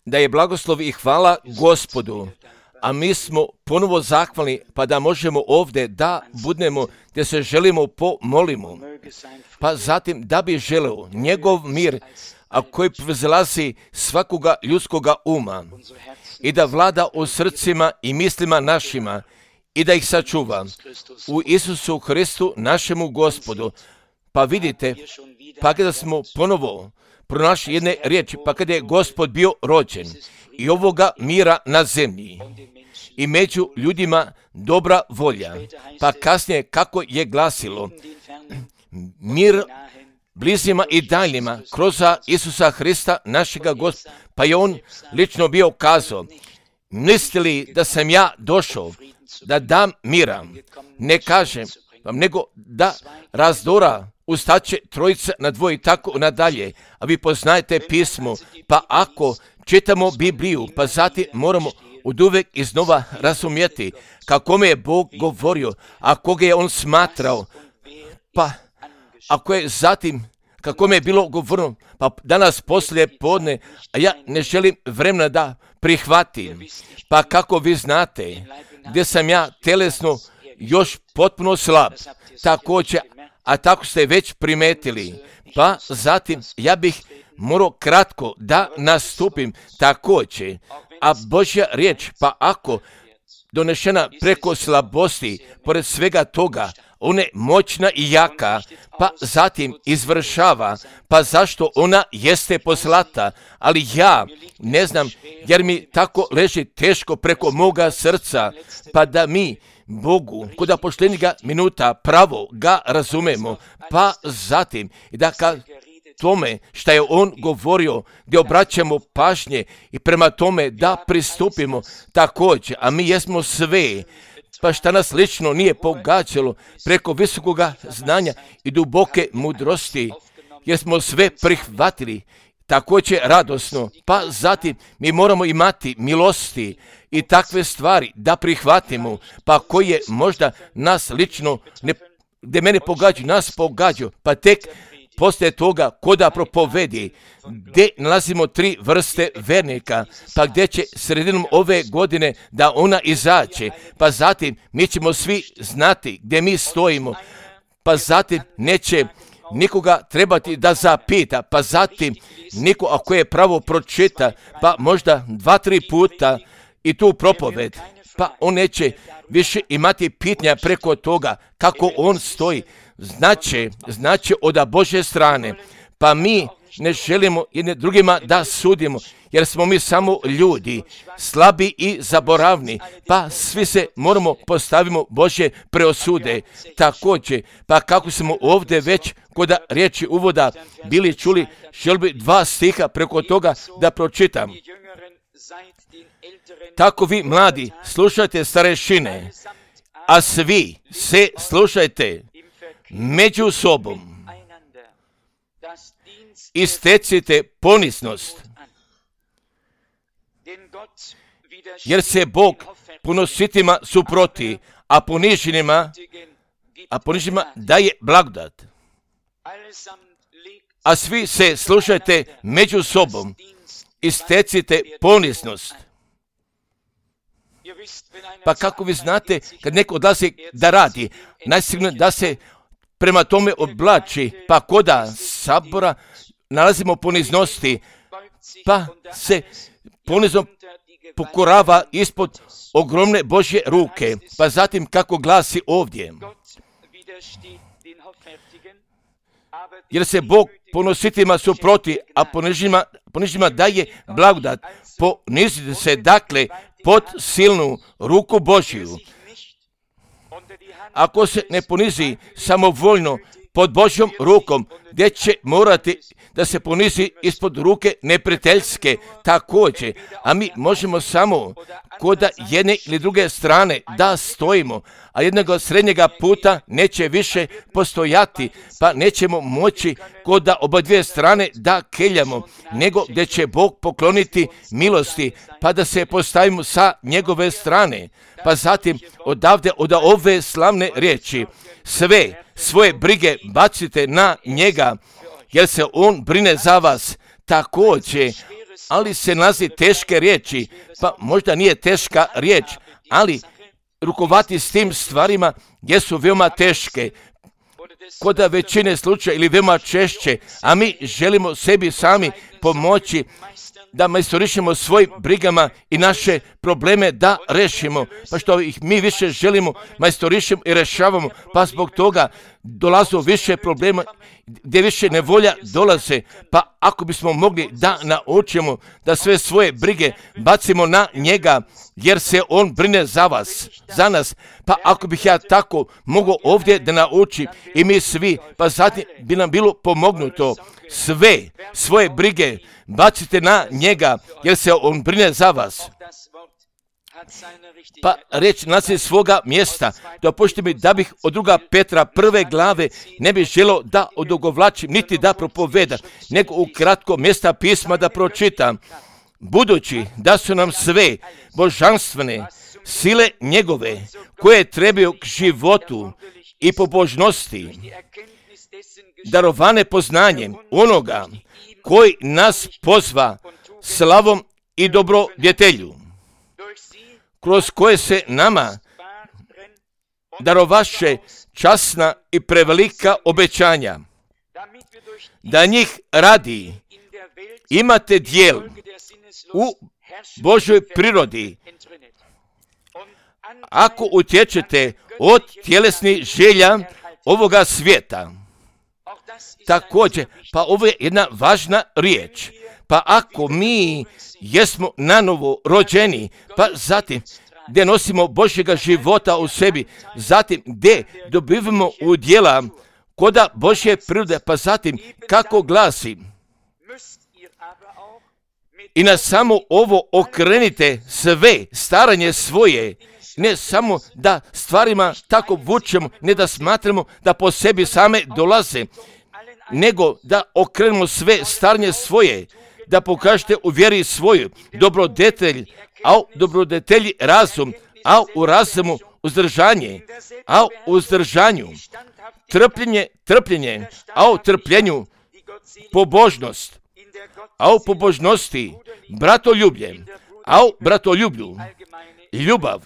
Da je blagoslov i hvala Gospodu, a mi smo ponovo zahvalni pa da možemo ovdje da budemo gdje se želimo pomolimo. Pa zatim da bi želeo njegov mir, a koji prevzilazi svakoga ljudskoga uma i da vlada u srcima i mislima našima i da ih sačuva u Isusu Hristu našemu Gospodu. Pa vidite, pa kada smo ponovo pronašli jedne riječi, pa kada je Gospod bio rođen i ovoga mira na zemlji i među ljudima dobra volja, pa kasnije kako je glasilo, mir blizima i daljima kroz Isusa Hrista našega Gospoda, pa je on lično bio kazao, mislite li da sam ja došao da dam mira, ne kažem vam, nego da razdora ustaće trojica na dvoje i tako nadalje. A vi poznajete pismo, pa ako čitamo Bibliju, pa zatim moramo oduvek iznova razumjeti kako je Bog govorio, a koga je on smatrao, pa ako je zatim kako je bilo govoreno, pa danas poslije podne, a ja ne želim vremena da prihvatim, pa kako vi znate, gdje sam ja telesno još potpuno slab, također, a tako ste već primetili, pa zatim ja bih morao kratko da nastupim također, a Božja riječ, pa ako donešena preko slabosti, pored svega toga, ona je moćna i jaka, pa zatim izvršava, pa zašto ona jeste poslata, ali ja ne znam, jer mi tako leži teško preko moga srca, pa da mi Bogu, kod poštenjega minuta pravo ga razumemo, pa zatim i da ka tome šta je on govorio, gdje obraćamo pažnje i prema tome da pristupimo također, a mi jesmo sve, pa šta nas lično nije pogađalo preko visokoga znanja i duboke mudrosti, jer smo sve prihvatili također radosno, pa zatim mi moramo imati milosti i takve stvari da prihvatimo, pa koje možda nas lično, gdje mene pogađaju, nas pogađaju, pa tek poslije toga koda propovedi, gdje nalazimo 3 vrste vernika, pa gdje će sredinom ove godine da ona izađe, pa zatim mi ćemo svi znati gdje mi stojimo, pa zatim neće nikoga trebati da zapita, pa zatim niko ako je pravo pročita, pa možda 2-3 puta i tu propoved, pa on neće više imati pitanja preko toga kako on stoji. Znači od Božje strane, pa mi ne želimo jedne drugima da sudimo, jer smo mi samo ljudi, slabi i zaboravni, pa svi se moramo postavimo Božje preosude. Također, pa kako smo ovdje već kod riječi uvoda bili čuli, želim bi 2 stiha preko toga da pročitam. Tako vi mladi slušajte starešine, a svi se slušajte među sobom i stecite poniznost, jer se Bog ponositima suproti, a poniženima daje blagodat. A svi se slušajte među sobom i stecite poniznost. Pa kako vi znate, kad neko odlazi da radi, najsigurno da se prema tome oblači, pa koda sabora nalazimo poniznosti, pa se ponizno pokorava ispod ogromne Božje ruke, pa zatim kako glasi ovdje. Jer se Bog ponositima suproti, a poniženima daje blagodat. Ponizite se dakle pod silnu ruku Božju. Ako se ne ponizi samovoljno pod Božjom rukom, gdje će morati da se ponizi ispod ruke neprijateljske također, a mi možemo samo kod jedne ili druge strane da stojimo, a jednog srednjega puta neće više postojati, pa nećemo moći kod oba dvije strane da keljamo, nego gdje će Bog pokloniti milosti, pa da se postavimo sa njegove strane. Pa zatim odavde od ove slavne riječi, sve svoje brige bacite na njega, jer se on brine za vas. također, ali se nalazi teške riječi, pa možda nije teška riječ, ali rukovati s tim stvarima jesu veoma teške, kod većine slučaja ili veoma češće, a mi želimo sebi sami pomoći da majstorišemo svojim brigama i naše probleme da rešimo, pa što ih mi više želimo majstorišemo i rešavamo, pa zbog toga dolazu više problema, gdje više nevolja dolaze, pa ako bismo mogli da naučimo da sve svoje brige bacimo na njega, jer se on brine za vas, za nas, pa ako bih ja tako mogao ovdje da naučim i mi svi, pa zatim bi nam bilo pomognuto, sve svoje brige bacite na njega, jer se on brine za vas. Pa reč nalazi svoga mjesta. Dopustite mi da bih od 2. Petra 1. glave ne bih želio da odugovlačim, niti da propovedam, nego u kratko mjesta pisma da pročitam. Budući da su nam sve božanstvene sile njegove, koje trebaju k životu i pobožnosti, darovane poznanjem onoga koji nas pozva slavom i dobrodjetelju, kroz koje se nama darovaše časna i prevelika obećanja, da njih radi imate dijel u Božoj prirodi, ako utječete od tjelesnih želja ovoga svijeta. Također, pa ovo je jedna važna riječ, pa ako mi jesmo nanovo rođeni, pa zatim gdje nosimo Božjega života u sebi, zatim gdje dobivamo udjela koda Božje prirode, pa zatim kako glasi, i na samo ovo okrenite sve staranje svoje, ne samo da stvarima tako vučemo, ne da smatramo da po sebi same dolaze, nego da okrenemo sve staranje svoje, da pokažete u vjeri svoju dobrodetelj, a u dobrodetelji razum, a u razumu uzdržanje, a u uzdržanju trpljenje, a u trpljenju pobožnost, a u pobožnosti bratoljublje, a u bratoljublju ljubav.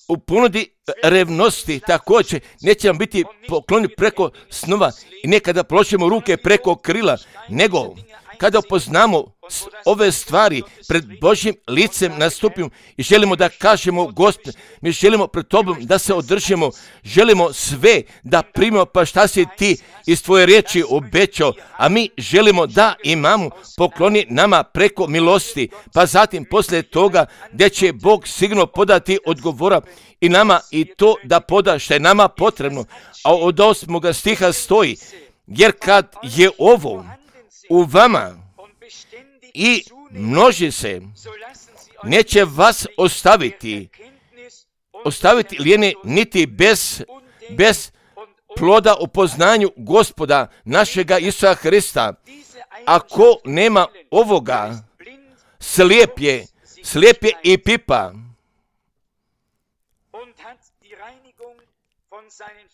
U ponudi revnosti također neće vam biti pokloni preko snova i nekada plošemo ruke preko krila, nego kada upoznamo ove stvari pred Božjim licem nastupimo i želimo da kažemo Gospod, mi želimo pred Tobom da se održimo, želimo sve da primimo, pa šta si ti iz tvoje riječi obećao, a mi želimo da imamo pokloni nama preko milosti, pa zatim poslije toga gdje će Bog sigurno podati odgovora i nama i to da poda što je nama potrebno, a od 8. stiha stoji, jer kad je ovo u vama i množi se, neće vas ostaviti lijene niti bez ploda u poznanju Gospoda našega Isusa Hrista. Ako nema ovoga, slijep je i pipa,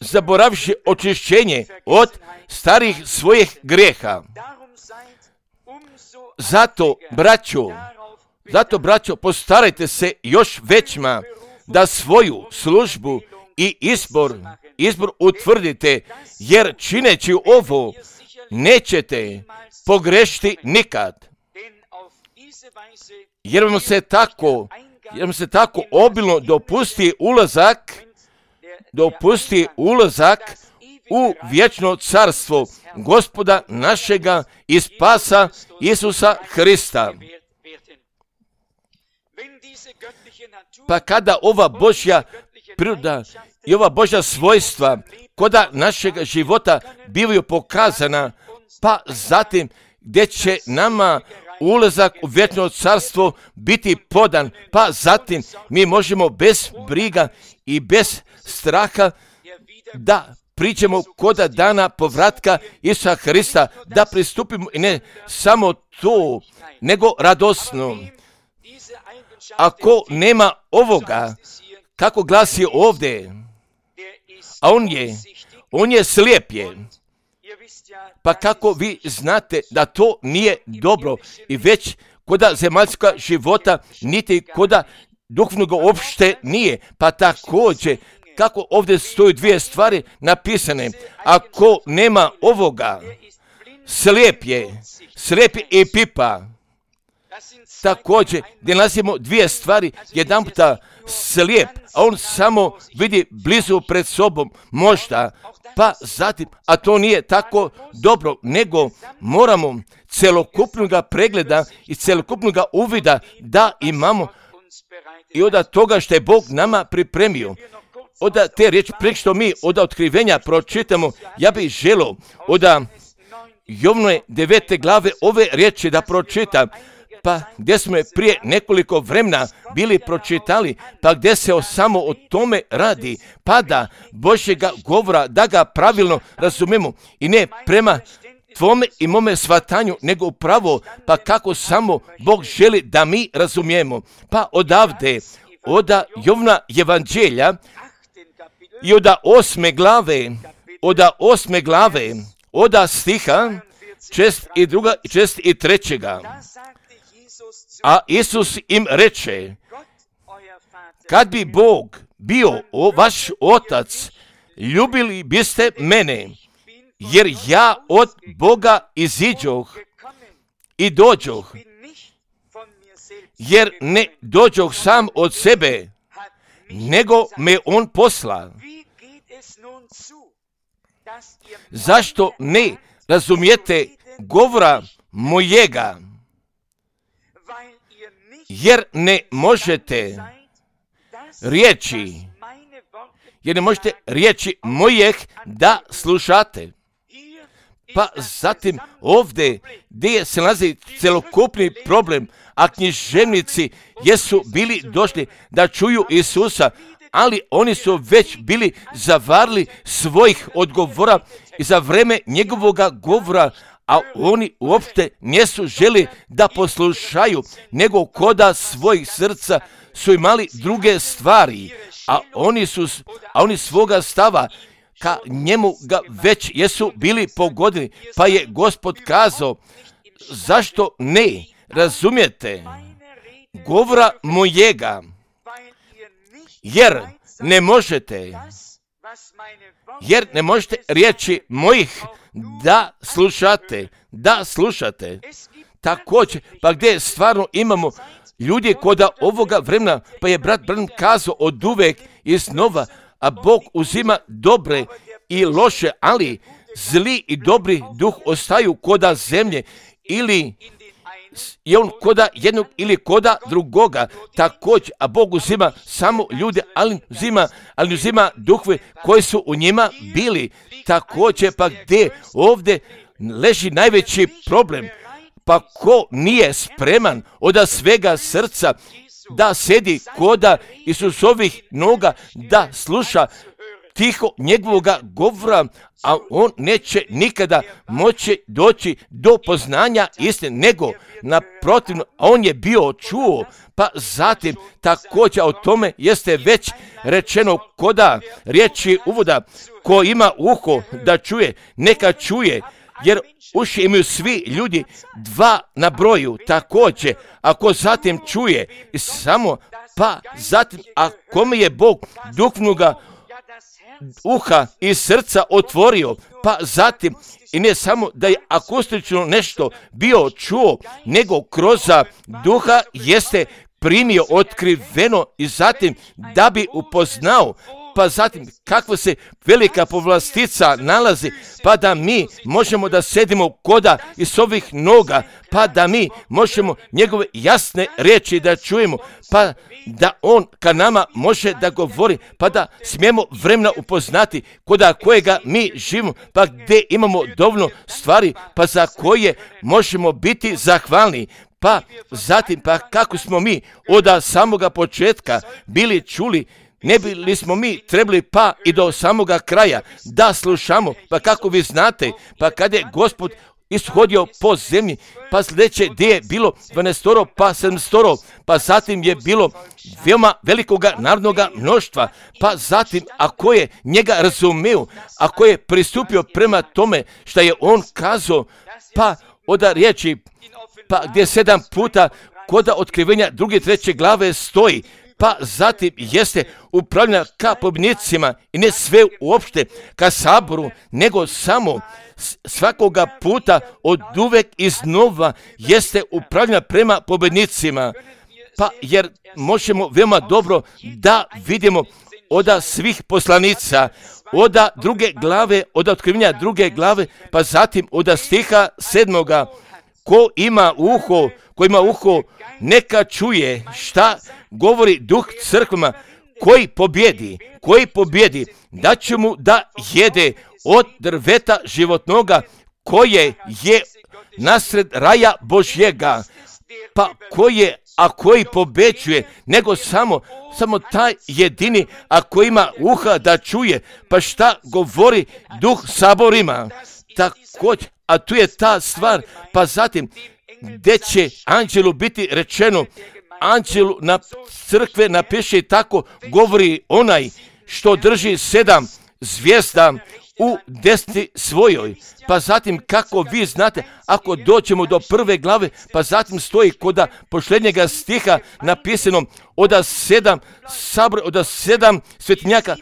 zaboravši očišćenje od starih svojih grijeha. Zato, braćo, postarajte se još većma da svoju službu i izbor utvrdite, jer čineći ovo nećete pogrešiti nikad. Jer vam se tako obilno dopusti ulazak u vječno carstvo Gospoda našega i spasa Isusa Hrista. Pa kada ova Božja priroda i ova Božja svojstva koda našega života bivaju pokazana, pa zatim gdje će nama ulazak u vječno carstvo biti podan, pa zatim mi možemo bez briga i bez straha da priđemo koda dana povratka Isusa Hrista, da pristupimo i ne samo to, nego radosno. Ako nema ovoga, kako glasi ovdje, a on je slijep je Pa kako vi znate da to nije dobro i već koda zemaljska života, niti koda duhovnog uopšte nije. Pa također, kako ovdje stoju dvije stvari napisane, ako nema ovoga, slijep je i pipa. Također, gdje nalazimo dvije stvari, jedan puta slijep, a on samo vidi blizu pred sobom, možda, pa zatim, a to nije tako dobro, nego moramo celokupnog pregleda i celokupnog uvida da imamo i od toga što je Bog nama pripremio. Od te riječi, prije što mi od otkrivenja pročitamo, ja bih želio od Jovnove 9. glave ove riječi da pročitam, pa gdje smo je prije nekoliko vremena bili pročitali, pa gdje se samo o tome radi, pa da Božjega govora, da ga pravilno razumemo i ne prema tvome i mome shvatanju, nego upravo, pa kako samo Bog želi da mi razumijemo. Pa odavde, od Jovna evanđelja i od 8. glave, od stiha 62. i 63. A Isus im reče, kad bi Bog bio vaš otac, ljubili biste mene, jer ja od Boga iziđoh i dođoh, jer ne dođoh sam od sebe, nego me on posla. Zašto ne razumijete govora mojega? Jer ne možete riječi mojeg da slušate. Pa zatim ovdje gdje se nalazi celokupni problem, a književnici jesu bili došli da čuju Isusa, ali oni su već bili zavarili svojih odgovora i za vreme njegovoga govora, a oni uopšte nisu želi da poslušaju, nego koda svojih srca su imali druge stvari, a oni svoga stava ka njemu ga već jesu bili pogodili, pa je Gospod kazao, zašto ne razumijete govora mojega, jer ne možete riječi mojih da slušate. Također, pa gdje stvarno imamo ljudi koda ovoga vremena, pa je brat Branham kazao od uvek i znova, a Bog uzima dobre i loše, ali zli i dobri duh ostaju koda zemlje, ili je on koda jednog ili koda drugoga. Također, a Bog uzima samo ljude, ali uzima duhove koji su u njima bili. Također, pa gdje ovdje leži najveći problem, pa ko nije spreman od svega srca da sedi koda Isusovih noga, da sluša tiho njegovoga govora, a on neće nikada moći doći do poznanja istine, nego naprotivno, a on je bio čuo, pa zatim također o tome jeste već rečeno koda riječi uvoda, ko ima uho da čuje, neka čuje, jer uši imaju svi ljudi, dva na broju. Također, ako zatim čuje i samo, pa zatim, a kome je Bog duhovnoga uha i srca otvorio, pa zatim, i ne samo da je akustično nešto bio čuo, nego kroz duha jeste primio otkriveno i zatim da bi upoznao, pa zatim kakva se velika povlastica nalazi, pa da mi možemo da sedimo koda iz ovih noga, pa da mi možemo njegove jasne riječi da čujemo, pa da on ka nama može da govori, pa da smijemo vremena upoznati koda kojega mi živimo, pa gdje imamo dovoljno stvari, pa za koje možemo biti zahvalni. Pa zatim, pa kako smo mi od samoga početka bili čuli, ne bili smo mi trebali pa i do samoga kraja da slušamo, pa kako vi znate, pa kad je Gospod ishodio po zemlji, pa sljedeće gdje je bilo 12, pa 7, pa zatim je bilo veoma velikoga narodnoga mnoštva, pa zatim ako je njega razumio, ako je pristupio prema tome što je on kazao, pa od riječi, pa gdje 7 puta kod otkrivenja 2. i 3. glave stoji, pa zatim jeste upravljena ka pobjednicima i ne sve uopšte ka saboru, nego samo svakoga puta od uvek iznova jeste upravljena prema pobjednicima. Pa jer možemo veoma dobro da vidimo od svih poslanica, od 2. glave, od otkrivenja 2. glave, pa zatim od stiha 7. Ko ima uho, neka čuje šta govori Duh crkvama. Koji pobjedi, da će mu da jede od drveta životnoga koje je nasred raja Božjega. Pa koji pobeđuje, nego samo taj jedini, ako ima uha da čuje, pa šta govori Duh saborima. Također, a tu je ta stvar, pa zatim, gdje će anđelu biti rečeno, anđelu na crkve napiše tako, govori onaj što drži 7 zvijezda u desni svojoj. Pa zatim, kako vi znate, ako dođemo do 1. glave, pa zatim stoji kod posljednjega stiha napisano od 7 sabora, od 7 svetinjaka,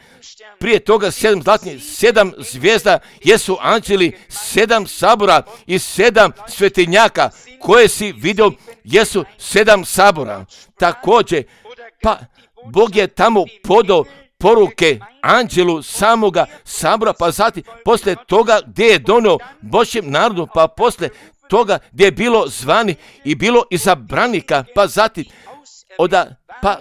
prije toga 7 zlatnih, 7 zvijezda jesu anđeli, 7 sabora i 7 svetinjaka koje si vidio jesu 7 sabora. Također, pa Bog je tamo podao poruke anđelu samoga sabora, pa zatim poslije toga gdje je donio Božjem narodu, pa poslije toga gdje je bilo zvani i bilo izabranika, pa zatim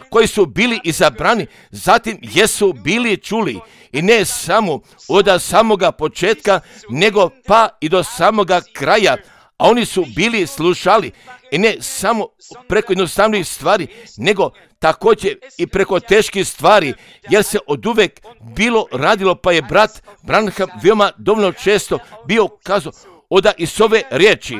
koji su bili izabrani, zatim jesu bili čuli i ne samo od samoga početka, nego pa i do samoga kraja, a oni su bili slušali i ne samo preko jednostavnih stvari, nego također i preko teških stvari, jer se oduvek bilo radilo, pa je brat Branham veoma dovoljno često bio kazao iz ove riječi: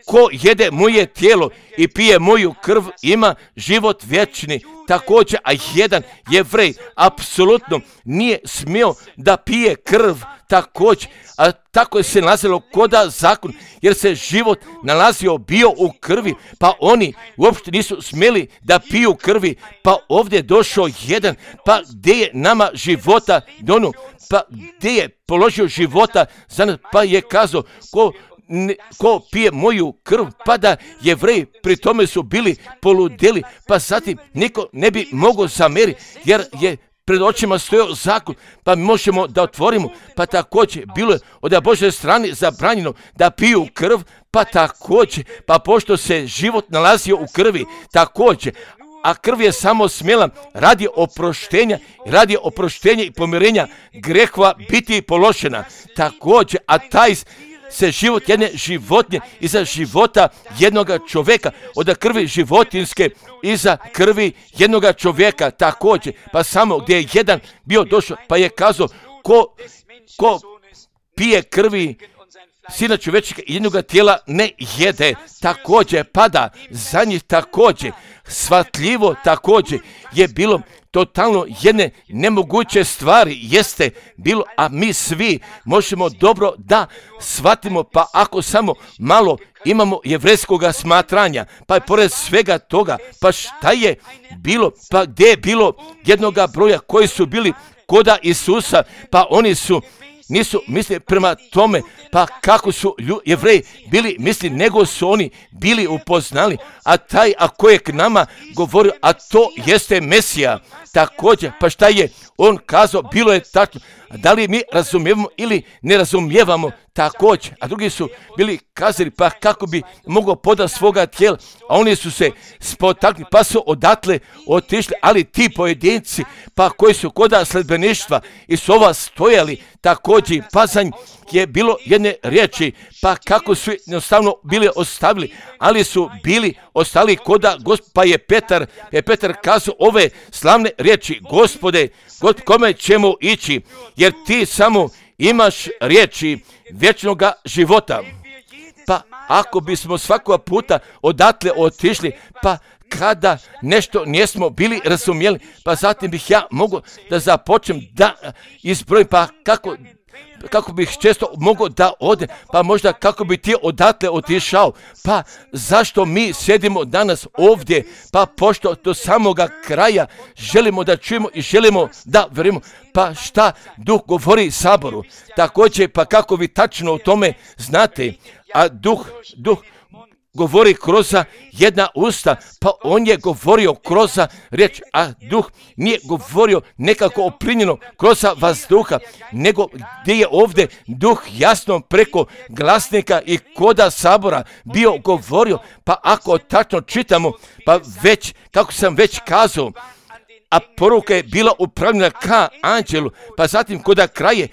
ko jede moje tijelo i pije moju krv ima život vječni. Također, a jedan Jevrej apsolutno nije smio da pije krv također, a tako je se nalazilo koda zakon, jer se život nalazio bio u krvi, pa oni uopšte nisu smjeli da piju krvi, pa ovdje je došao jedan, pa gdje je nama života donu, pa gdje je položio života za nas, pa je kazao ko pije moju krv, pa da Jevreji pri tome su bili poludeli, pa zatim niko ne bi mogao zameriti, jer je pred očima stojao zakon, pa možemo da otvorimo, pa također bilo je od Božje strane zabranjeno da piju krv, pa također, pa pošto se život nalazio u krvi, također, a krv je samo smjela radi oproštenja i pomirenja grehova biti položena. Također, a taj se život jedne životinje iza života jednoga čovjeka, od krvi životinske iza krvi jednoga čovjeka također, pa samo gdje je jedan bio došao, pa je kazao ko pije krvi Sina čovječega i jednoga tijela ne jede, također pada za njih, također shvatljivo, također je bilo totalno jedne nemoguće stvari jeste bilo, a mi svi možemo dobro da shvatimo, pa ako samo malo imamo jevrejskoga smatranja, pa je pored svega toga, pa šta je bilo, pa gdje je bilo jednoga broja koji su bili koda Isusa, pa oni nisu mislili prema tome, pa kako su Jevreji bili misli, nego su oni bili upoznali, a taj ako je k nama govorio, a to jeste Mesija, također, pa šta je on kazao, bilo je tačno, da li mi razumijevamo ili ne razumijevamo, također, a drugi su bili kazali, pa kako bi mogao podati svoga tijela, a oni su se spotakli, pa su odatle otišli, ali ti pojedinci, pa koji su koda sledbeništva i su ova stojali, također, pa za njih je bilo jedne riječi, pa kako su jednostavno bili ostavili, ali su bili ostali koda Gospod, pa je Petar kazao ove slavne riječi: Gospode, kome ćemo ići, jer ti samo imaš riječi vječnoga života. Pa ako bismo svakoga puta odatle otišli, pa kada nešto nismo bili razumjeli, pa zatim bih ja mogao da započnem da izbrojim, pa kako bih često mogao da ode, pa možda kako bi ti odatle otišao, pa zašto mi sjedimo danas ovdje, pa pošto do samoga kraja želimo da čujemo i želimo da verujemo, pa šta Duh govori Saboru, također pa kako vi tačno o tome znate, a Duh govori kroz jedna usta, pa on je govorio kroz riječ, a Duh nije govorio nekako oprinjeno kroz vazduha, nego gdje je ovdje Duh jasno preko glasnika i koda Sabora bio govorio, pa ako tačno čitamo, pa već, kako sam već kazao, a poruka je bila upravljena ka anđelu, pa zatim koda kraje,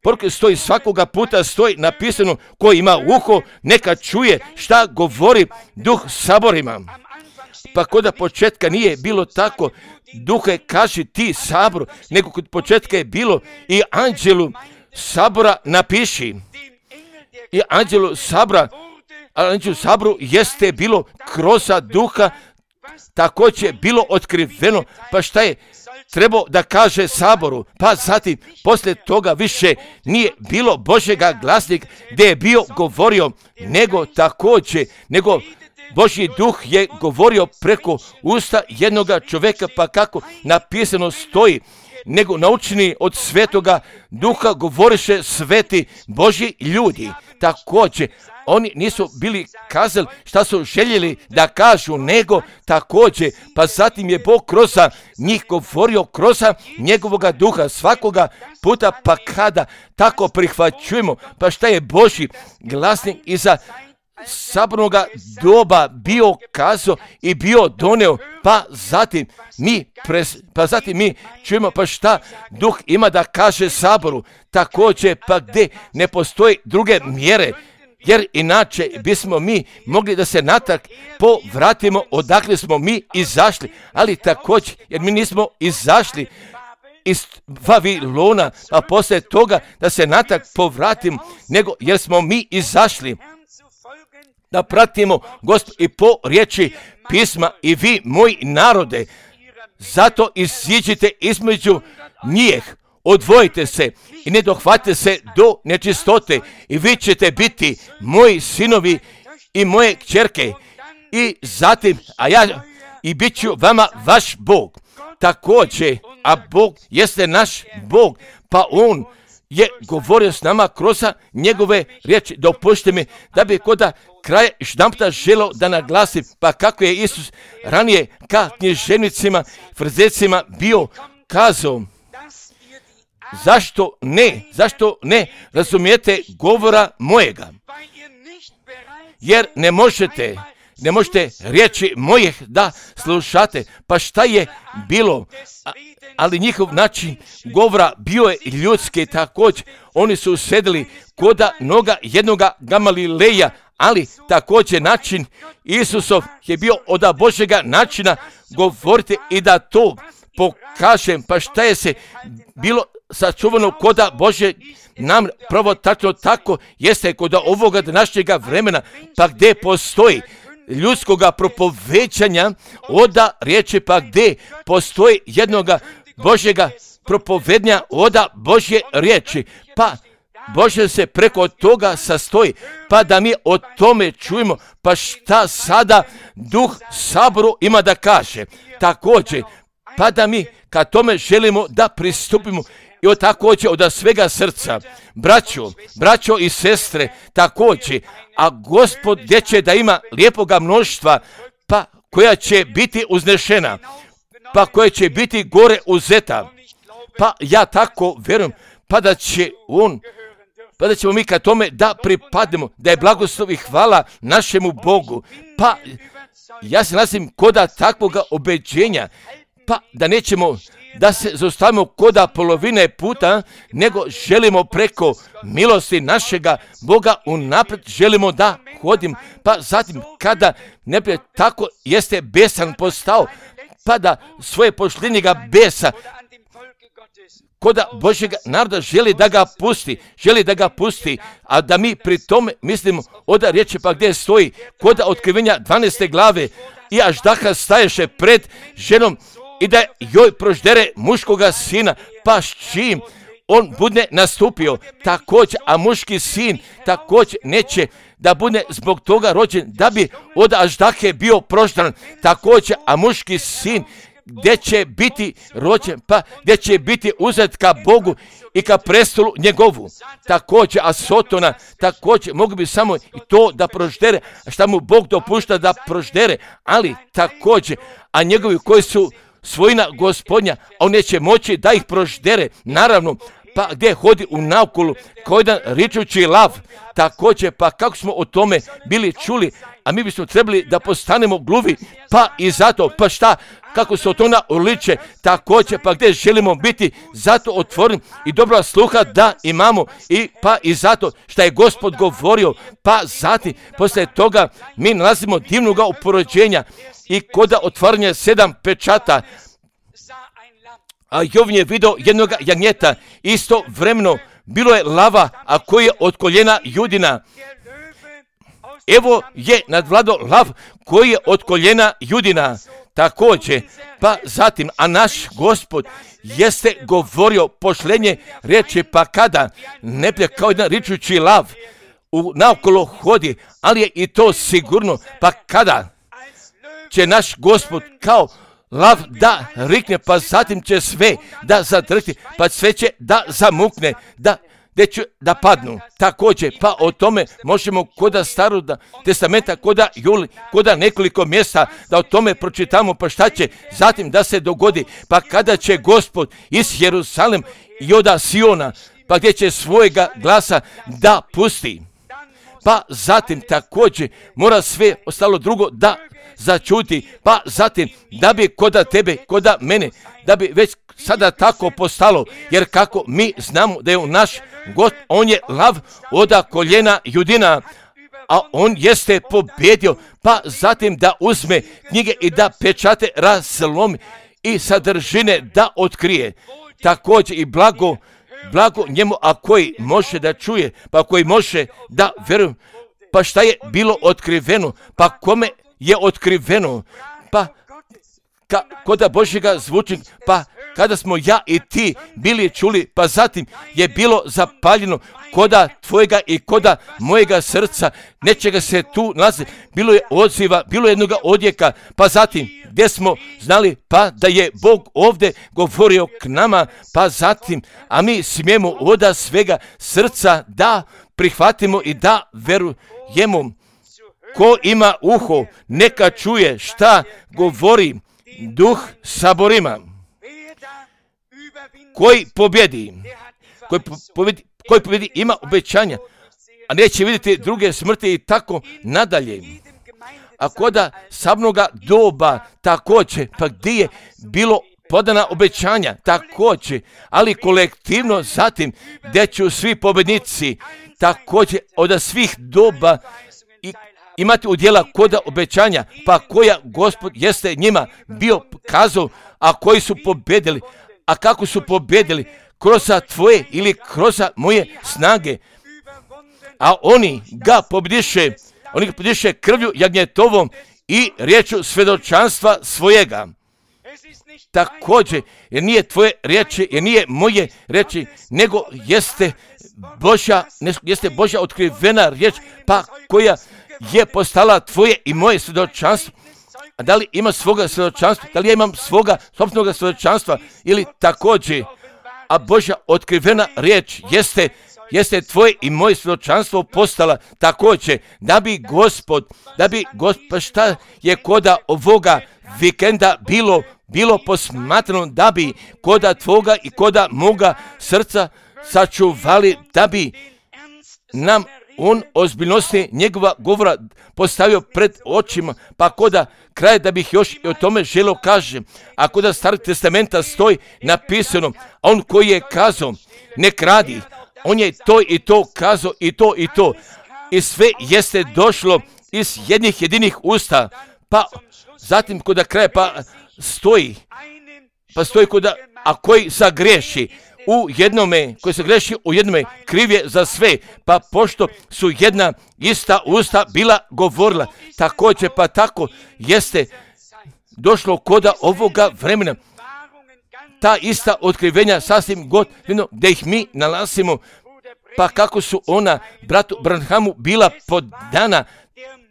poruke stoji svakoga puta, stoji napisano ko ima uho, neka čuje šta govori Duh Saborima. Pa kod početka nije bilo tako, Duhe kaži ti Saboru, nego kod početka je bilo i anđelu Sabora napiši. I anđelu Saboru jeste bilo kroz Duha, također bilo otkriveno, pa šta je trebao da kaže Saboru, pa zatim poslije toga više nije bilo Božjega glasnika gdje je bio govorio, nego Božji Duh je govorio preko usta jednoga čovjeka, pa kako napisano stoji, nego naučeni od Svetoga Duha govoriše sveti Božji ljudi. Također, oni nisu bili kazali šta su željeli da kažu, nego također, pa zatim je Bog kroz njih govorio kroz njegovoga Duha svakoga puta, pa kada tako prihvaćujemo, pa šta je Božji glasnik iza sabornoga doba bio kazao i bio doneo, pa zatim mi čujemo pa šta Duh ima da kaže Saboru, također pa gdje ne postoji druge mjere, jer inače bismo mi mogli da se natrag povratimo odakle smo mi izašli, ali također jer mi nismo izašli iz Vavilona, a poslije toga da se natrag povratimo, nego jer smo mi izašli da pratimo Gospod i po riječi pisma i vi moji narode, zato iziđite između njih, odvojite se i ne dohvatite se do nečistote i vi ćete biti moji sinovi i moje kćerke i zatim, i bit ću vama vaš Bog. Također, a Bog jeste naš Bog, pa On je govorio s nama kroz njegove riječi. Dopušte mi da bi kod kraja štamputa želio da naglasim, pa kako je Isus ranije ka književnicima, frizecima bio kazao, zašto ne razumijete govora mojega, jer ne možete riječi mojih da slušate, pa šta je bilo, ali njihov način govora bio je ljudski također, oni su sedeli koda noga jednoga Gamalileja, ali također način Isusov je bio od Božjega načina govoriti i da to pokažem, pa šta je se bilo sačuvano koda Božje nam pravo tačno tako jeste kod ovoga današnjega vremena, pa gdje postoji ljudskoga propovećanja oda riječi, pa gdje postoji jednoga Božjega propovednja oda Božje riječi, pa Bože se preko toga sastoji, pa da mi o tome čujemo, pa šta sada Duh Saboru ima da kaže. Također, pa da mi ka tome želimo da pristupimo i također od svega srca, braćo i sestre, također, a Gospod gdje će da ima lijepoga mnoštva, pa koja će biti uznešena, pa koja će biti gore uzeta, pa ja tako vjerujem, pa da ćemo mi ka tome da pripadnemo, da je blagoslov i hvala našemu Bogu, pa ja se nalazim koda takvoga obeđenja, pa da nećemo da se zaustavimo koda polovine puta, nego želimo preko milosti našega Boga unaprijed želimo da hodim, pa zatim kada neprijatelj tako jeste besan postao, pa da svoje pošljenjega besa koda Božjega naroda želi da ga pusti, a da mi pri tome mislimo oda riječi pa gdje stoji, koda otkrivenja 12. glave, i Aždaha staješe pred ženom i da joj proždere muškoga sina, pa s čim on bude nastupio također, a muški sin također neće da bude zbog toga rođen, da bi od Aždahe bio proždan također, a muški sin gdje će biti rođen, pa gdje će biti uzet ka Bogu i ka prestolu njegovu. Također, a Sotona također mogu bi samo i to da proždere, šta mu Bog dopušta da proždere, ali također, a njegovi koji su svojina Gospodnja, on neće moći da ih proždere, naravno, pa gdje hodi u naokolu kao jedan ričući lav, također, pa kako smo o tome bili čuli, a mi bismo trebali da postanemo gluvi, pa i zato, pa šta, kako se o tona uliče, također, pa gdje želimo biti, zato otvoren i dobra sluha da imamo, i pa i zato šta je Gospod govorio, pa zatim, poslije toga mi nalazimo divnoga uporođenja i koda otvaranja 7 pečata, a Jovan je vidio jednog jagnjeta, isto vremeno bilo je lava, a koji je od koljena Judina. Evo je nadvladao lav koji je od koljena Judina. Također, pa zatim, a naš Gospod jeste govorio pošlenje riječi, pa kada neprijatelj kao jedan ričući lav naokolo hodi, ali je i to sigurno, pa kada će naš Gospod kao lav da rikne, pa zatim će sve da zadrti, pa sve će da zamukne, da padnu. Također, pa o tome možemo koda Starog testamenta, koda nekoliko mjesta, da o tome pročitamo, pa šta će zatim da se dogodi, pa kada će Gospod iz Jerusalem i od Siona, pa gdje će svojega glasa da pusti. Pa zatim također mora sve ostalo drugo da začuti, pa zatim da bi koda tebe, koda mene, da bi već sada tako postalo, jer kako mi znamo da je naš God, on je lav od koljena Judina, a on jeste pobjedio, pa zatim da uzme knjige i da pečate razlomi i sadržine da otkrije. Također i blago njemu, a koji može da čuje, pa koji može da veruje, pa šta je bilo otkriveno, pa kome je otkriveno, pa koda Božjega zvuči, pa kada smo ja i ti bili čuli, pa zatim je bilo zapaljeno koda tvojega i koda mojega srca, nečega se tu nalazi, bilo je odziva, bilo je jednoga odjeka, pa zatim gdje smo znali, pa da je Bog ovdje govorio k nama, pa zatim, a mi smijemo od svega srca da prihvatimo i da verujemo. Ko ima uho, neka čuje šta govori Duh saborima. Koji pobjedi ima obećanja, a neće vidjeti druge smrti i tako nadalje. A koda sabnoga doba također, pa gdje je bilo podana obećanja također, ali kolektivno zatim gdje će svi pobjednici također od svih doba imati udjela koda obećanja, pa koja Gospod jeste njima bio kazao, a koji su pobjedili. A kako su pobjedili? Kroz tvoje ili kroz moje snage. A oni ga pobjediše krvlju jagnjetovom i riječu svjedočanstva svojega. Također, jer nije tvoje riječi, jer nije moje riječi, nego jeste Božja otkrivena riječ, pa koja je postala tvoje i moje svjedočanstvo. A da li ima svoga svjedočanstva? Da li ja imam svoga sopstvenog svjedočanstva? Ili također, a Božja otkrivena riječ jeste tvoje i moje svjedočanstvo postala također, da bi Gospod, pa šta je koda ovoga vikenda bilo posmatrano, da bi koda tvoga i koda moga srca sačuvali, da bi nam on ozbiljnosti njegova govora postavio pred očima, pa koda kraj da bih još i o tome želio kažem, a koda Starog testamenta stoji napisano, a on koji je kazao, ne kradi, on je to i to kazao i to i to, i sve jeste došlo iz jednih jedinih usta, pa zatim koda kraj pa stoji koda, a koji sagriješi, u jednome, koji se greši u jednome, kriv je za sve, pa pošto su jedna ista usta bila govorila, također pa tako jeste došlo koda ovoga vremena. Ta ista otkrivenja sasvim godino gdje ih mi nalazimo, pa kako su ona bratu Branhamu bila podana,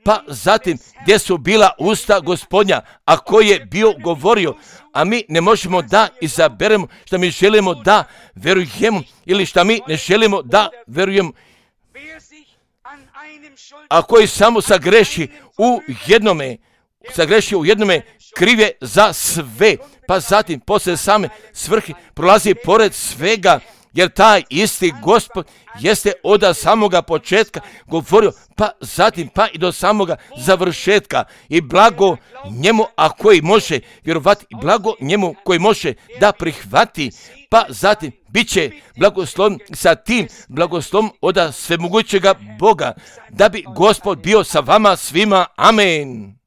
pa zatim gdje su bila usta Gospodnja, a koji je bio govorio, a mi ne možemo da izaberemo što mi želimo da verujemo ili što mi ne želimo da verujemo. A koji samo sagreši u jednome, kriv je za sve, pa zatim poslije same svrhe prolazi pored svega, jer taj isti Gospod jeste od samoga početka govorio, pa zatim pa i do samoga završetka. I blago njemu, a koji može vjerovati, i blago njemu koji može da prihvati, pa zatim bit će blagosloven sa tim blagoslovom od svemogućega Boga, da bi Gospod bio sa vama svima. Amen.